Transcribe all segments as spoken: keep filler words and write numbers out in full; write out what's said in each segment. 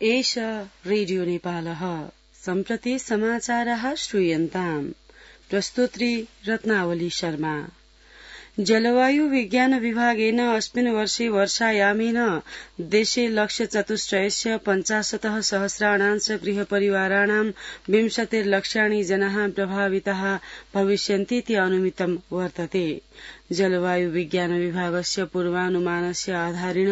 एष रेडियो नेपालः सम्प्रति समाचारः श्रूयन्ताम्। प्रस्तोत्री रत्नावली शर्मा। जलवायु विज्ञान विभागेन अस्मिन् वर्षे वर्षायामेन देशे लक्ष्यचतुष्टयस्य पञ्चाशतः सहस्राणां च गृहपरिवाराणां विंशतिर्लक्षाणि जनाः प्रभाविताः भविष्यन्तीति अनुमितं वर्तते। जलवायु विज्ञान विभागस्य पूर्वानुमानस्य आधारेण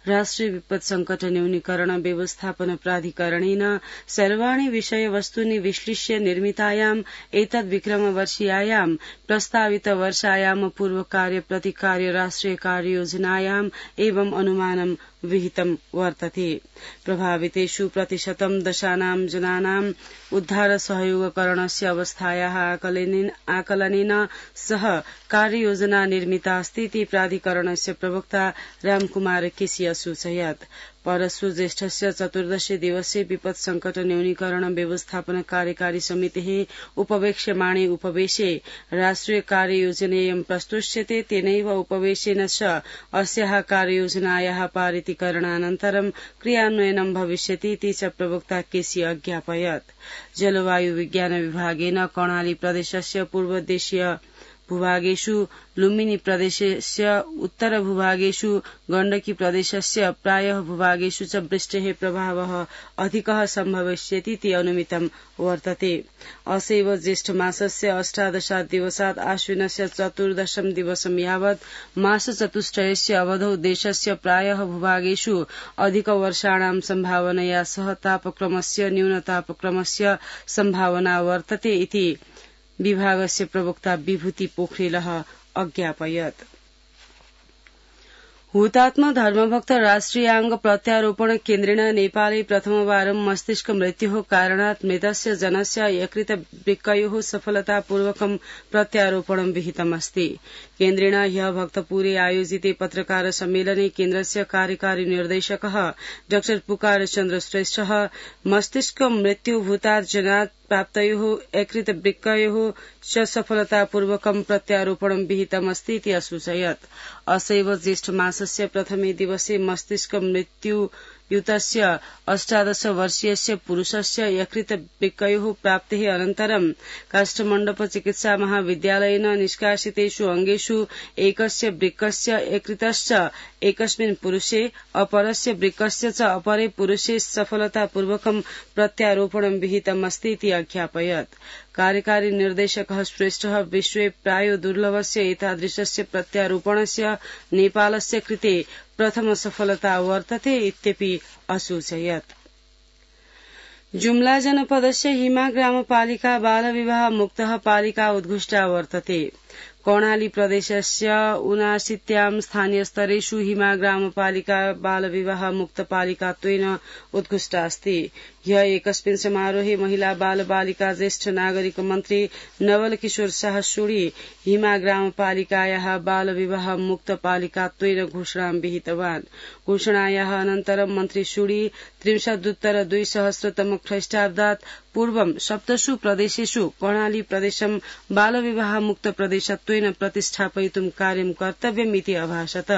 राष्ट्रिय विपद संकट न्यूनीकरण व्यवस्थापन प्राधिकरणेन सर्वाणि विषयवस्तूनि विश्लेष्य निर्मितायाम् एतद्विक्रमवर्षीयायां प्रस्तावित वर्षायाम पूर्वकार्य प्रतिकार्य राष्ट्रिय कार्ययोजनायाम् एवं अनुमानं विहितं वर्तते। प्रभावितेषु प्रतिशतं दशानां जनानाम् उद्धार सहयोगकरणस्य अवस्थायाः आकलनेन सह कार्ययोजना निर्मिता अस्ति प्राधिकरणस्य प्रवक्ता रामकुमार केसी असूचयत्। परशु ज्येष्ठस्य चतुर्दशे दिवसे विपद संकट न्यूनीकरण व्यवस्थापन कार्यकारी समितेः उपवेक्ष्यमाणे उपवेशे राष्ट्रिय कार्ययोजनेयं प्रस्तुष्यते। तेनैव उपवेशेन च अस्याः कार्ययोजनायाः पारितीकरणानन्तरं क्रियान्वयनं भविष्यतीति च प्रवक्ता केसी अज्ञापयत्। जलवायु विज्ञान विभागेन कर्णाली प्रदेशस्य पूर्वदेशीय भूभागेषु, लुम्बिनी प्रदेशस्य उत्तर भूभागेषु, गण्डकी प्रदेशस्य प्रायः भूभागेषु च वृष्टेः प्रभावः अधिकः सम्भविष्यतीति अनुमितं वर्तते। असैव ज्येष्ठमासस्य अष्टादशात् दिवसात् आश्विनस्य चतुर्दशं दिवसं यावत् मासचतुष्टयस्य अवधौ देशस्य प्रायः भूभागेषु अधिकवर्षाणां सम्भावनया सह तापक्रमस्य न्यूनतापक्रमस्य सम्भावना वर्तते इति विभागस्य प्रवक्ता विभूति पोखरेलः अज्ञापयत्। हुतात्मा धर्मभक्त राष्ट्रियाङ्ग प्रत्यारोपण केन्द्रेण नेपाले प्रथमवारं मस्तिष्क मृत्योः कारणात् मृतस्य जनस्य यकृत वृक्कयोः सफलतापूर्वकं प्रत्यारोपणं विहितमस्ति। केन्द्रेण ह्यः भक्तपुरे आयोजिते पत्रकार सम्मेलने केन्द्रस्य कार्यकारी निर्देशकः डॉ पुकार चन्द्र श्रेष्ठः मस्तिष्क मृत्युभूतात् जनात् प्राप्तयोः यकृत वृक्कयोः च सफलतापूर्वकं प्रत्यारोपणं विहितमस्ति इति असूचयत्। असैव ज्येष्ठमासस्य प्रथमे दिवसे मस्तिष्क मृत्यु युतस्य अष्टादश वर्षीयस्य पुरुषस्य यकृत वृक्कयोः प्राप्तेः अनन्तरं काष्ठमण्डप चिकित्सा महाविद्यालयेन निष्कासितेषु अङ्गेषु एकस्य वृक्कस्य यकृतश्च एकस्मिन् पुरुषे अपरस्य वृक्कस्य च अपरे पुरुषे सफलतापूर्वकं प्रत्यारोपणं विहितमस्ति इति अज्ञापयत्। कार्यकारी निर्देशकः श्रेष्ठः विश्वे प्रायो दुर्लभस्य एतादृशस्य प्रत्यारोपणस्य नेपालस्य कृते प्रथम सफलता वर्तते इत्यपि असूचयत्। जुम्ला जनपदस्य हिमा ग्रामपालिका बालविवाह मुक्तः पालिका उद्घुष्टा वर्तते। कर्णाली प्रदेशस्य ऊनाशीत्यां स्थानीयस्तरेषु हिमा ग्रामपालिका बालविवाह मुक्तपालिकात्वेन उद्घुष्टा अस्ति। ह्यः एकस्मिन् समारोहे महिला बाल बालिका ज्येष्ठ नागरिक मन्त्री नवल किशोर शाह शूरी हिमा ग्रामपालिकायाः बालविवाह मुक्तपालिकात्वेन घोषणां विहितवान्। घोषणायाः अनन्तरं मन्त्री शूरी त्रिंशदुत्तर द्विसहस्रतम ख्रीष्टाब्दात् पूर्वं सप्तसु प्रदेशेषु कर्णाली प्रदेशं बालविवाह मुक्त प्रदेशत्वेन प्रतिष्ठापयितुं कार्यं कर्तव्यमिति अभाषत।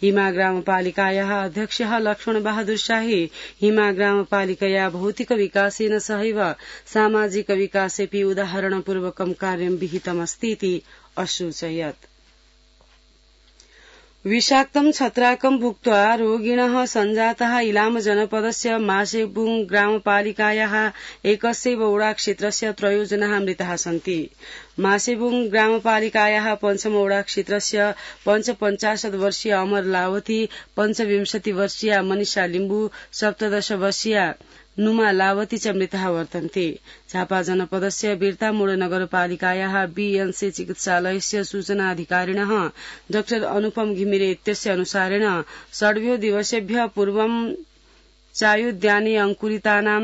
हिमा ग्रामपालिकायाः अध्यक्षः लक्ष्मण बहादुर शाही हिमा ग्रामपालिकया भौतिक विकासेन सहैव सामाजिक विकासेऽपि उदाहरणपूर्वकं कार्यं विहितमस्ति इति असूचयत्। विषाक्तं छत्राकं भुक्त्वा रोगिणः सञ्जाताः इलाम जनपदस्य मासेबुङ ग्रामपालिकायाः एकस्यैव ओडा क्षेत्रस्य त्रयो जनाः मृताः सन्ति। मासेबुङ ग्रामपालिकायाः पञ्चम ओडा क्षेत्रस्य पञ्चपञ्चाशत् वर्षीय अमर लावती, पञ्चविंशति वर्षीया मनिषा लिम्बू, सप्तदश वर्षीया नुमा लावती च मृताः वर्तन्ते। झापा जनपदस्य बिर्तामोड नगरपालिकायाः बीएनसी चिकित्सालयस्य सूचनाधिकारिणः डाक्टर अनुपम घिमिरे इत्यस्य अनुसारेण षड्भ्यो दिवसेभ्यः पूर्वं चायोद्याने अंकुरितानां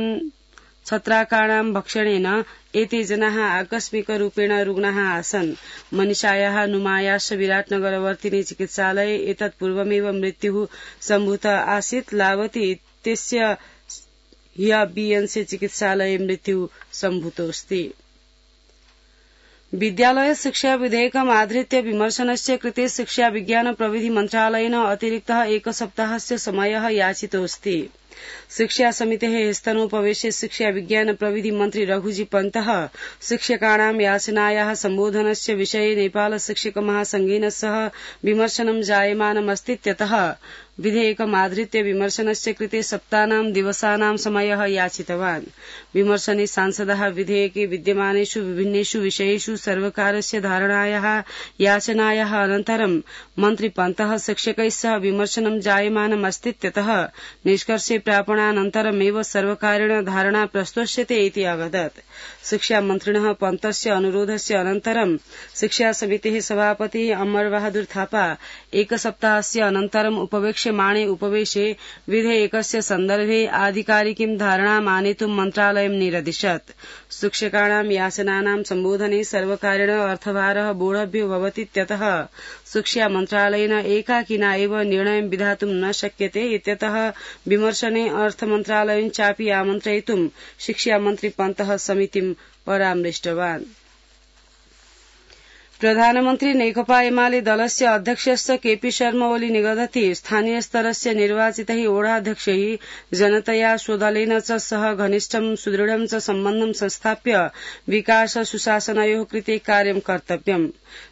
छत्राकाणां भक्षणेन एते जनाः आकस्मिकरूपेण रुग्णाः आसन्। मनिषायाः नुमायाश्च विराटनगरवर्तिनी चिकित्सालये एतत् पूर्वमेव मृत्युः सम्भूत आसीत्। लावती इत्यस्य ह्यः बीएनसी चिकित्सालये मृत्यु सम्भूतोऽस्ति। विद्यालय शिक्षा विधेयकम् आधृत्य विमर्शनस्य कृते शिक्षा विज्ञान प्रविधि मन्त्रालयेन अतिरिक्तः एकसप्ताहस्य समयः याचितोऽस्ति। शिक्षा समितेः स्तनोपवेशे शिक्षा विज्ञान प्रविधि मन्त्री रघुजी पन्तः शिक्षकाणां याचनायाः सम्बोधनस्य विषये नेपाल शिक्षक महासंघेन सह विमर्शनं जायमानमस्तीत्यतः विधेयकमाधृत्य विमर्शनस्य कृते सप्तानां दिवसानां समयः याचितवान्। विमर्शने सांसदः विधेयके विद्यमानेषु विभिन्नेषु विषयेषु सर्वकारस्य धारणायाः याचनायाः अनन्तरं मन्त्री पन्तः शिक्षकैः सह विमर्शनं जायमानमस्तीत्यतः निष्कर्षे प्रापणानन्तरमेव सर्वकारेण धारणा प्रस्तोष्यते इति अवदत्। शिक्षामन्त्रिणः पन्तस्य अनुरोधस्य अनन्तरं शिक्षा समितेः सभापतिः अमर बहादुर थापा एकसप्ताहस्य अनन्तरम् उपवेक्ष्यमाणे उपवेशे विधेयकस्य सन्दर्भे आधिकारिकीं धारणाम् आनेतुं मन्त्रालयं निरदिशत्। शिक्षकाणां याचनानां सम्बोधने सर्वकारेण अर्थभारः बोढव्यो भवतीत्यतः शिक्षा मन्त्रालयेन एकाकिना एव निर्णयं विधातुं न शक्यते इत्यतः विमर्शने अर्थमन्त्रालयं चापि आमन्त्रयितुं शिक्षामन्त्री पन्तः समितिं परामृष्टवान्। प्रधानमन्त्री नेकपा एमाले दलस्य अध्यक्षस्य केपी शर्मा ओली निगदति स्थानीयस्तरस्य निर्वाचितैः ओढाध्यक्षैः जनतया स्वदलेन च सह घनिष्ठं सुदृढं च सम्बन्धं संस्थाप्य विकास सुशासनयोः कृते कार्यं कर्तव्यम्।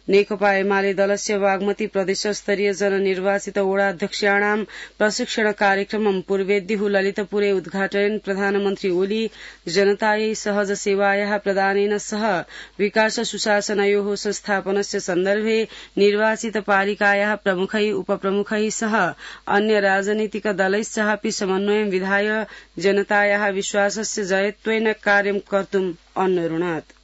नेकपा एमाले दलस्य बागमती प्रदेशस्तरीय जननिर्वाचित ओढाध्यक्षाणां प्रशिक्षण कार्यक्रमं पूर्वेद्युः ललितपुरे उद्घाटयन् प्रधानमन्त्री ओली जनतायै सहज सेवायाः प्रदानेन सह विकास सुशासनयोः संस्थापनस्य सन्दर्भे निर्वाचित पालिकायाः प्रमुखैः उपप्रमुखैः सह अन्य राजनीतिक दलैश्चापि समन्वयं विधाय जनतायाः विश्वासस्य जयत्वेन कार्यं कर्तुम् अन्वरुणात्।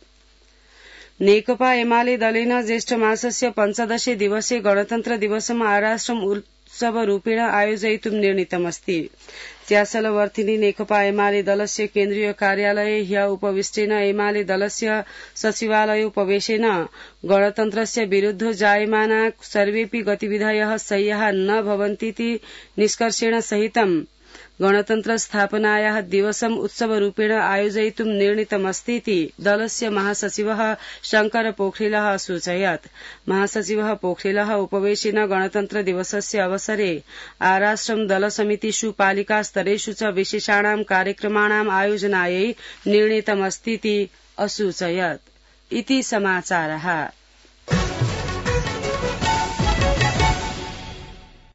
नेकपा एमाले दलेन ज्येष्ठ मासस्य पञ्चदशे दिवसे गणतन्त्र दिवसम् आराष्ट्रम् उत्सवरूपेण आयोजयितुं निर्णीतमस्ति। त्यासलवर्तिनी नेकपा एमाले दलस्य केन्द्रीय कार्यालये ह्य उपविष्टेन एमाले दलस्य सचिवालयोपवेशेन गणतन्त्रस्य विरुद्ध जायमाना सर्वेऽपि गतिविधयः सह्याः न भवन्तीति निष्कर्षेण सहितं गणतन्त्र स्थापनायाः दिवसम् उत्सवरूपेण आयोजयितुं निर्णीतमस्तीति दलस्य महासचिवः शंकर पोखरेलः असूचयत्। महासचिवः पोखरेलः उपवेशेन गणतन्त्र दिवसस्य अवसरे आराष्ट्रं दलसमितिषु पालिकास्तरेषु च विशेषाणां कार्यक्रमाणाम् आयोजनायै निर्णीतमस्तीति असूचयत्। इति समाचारः।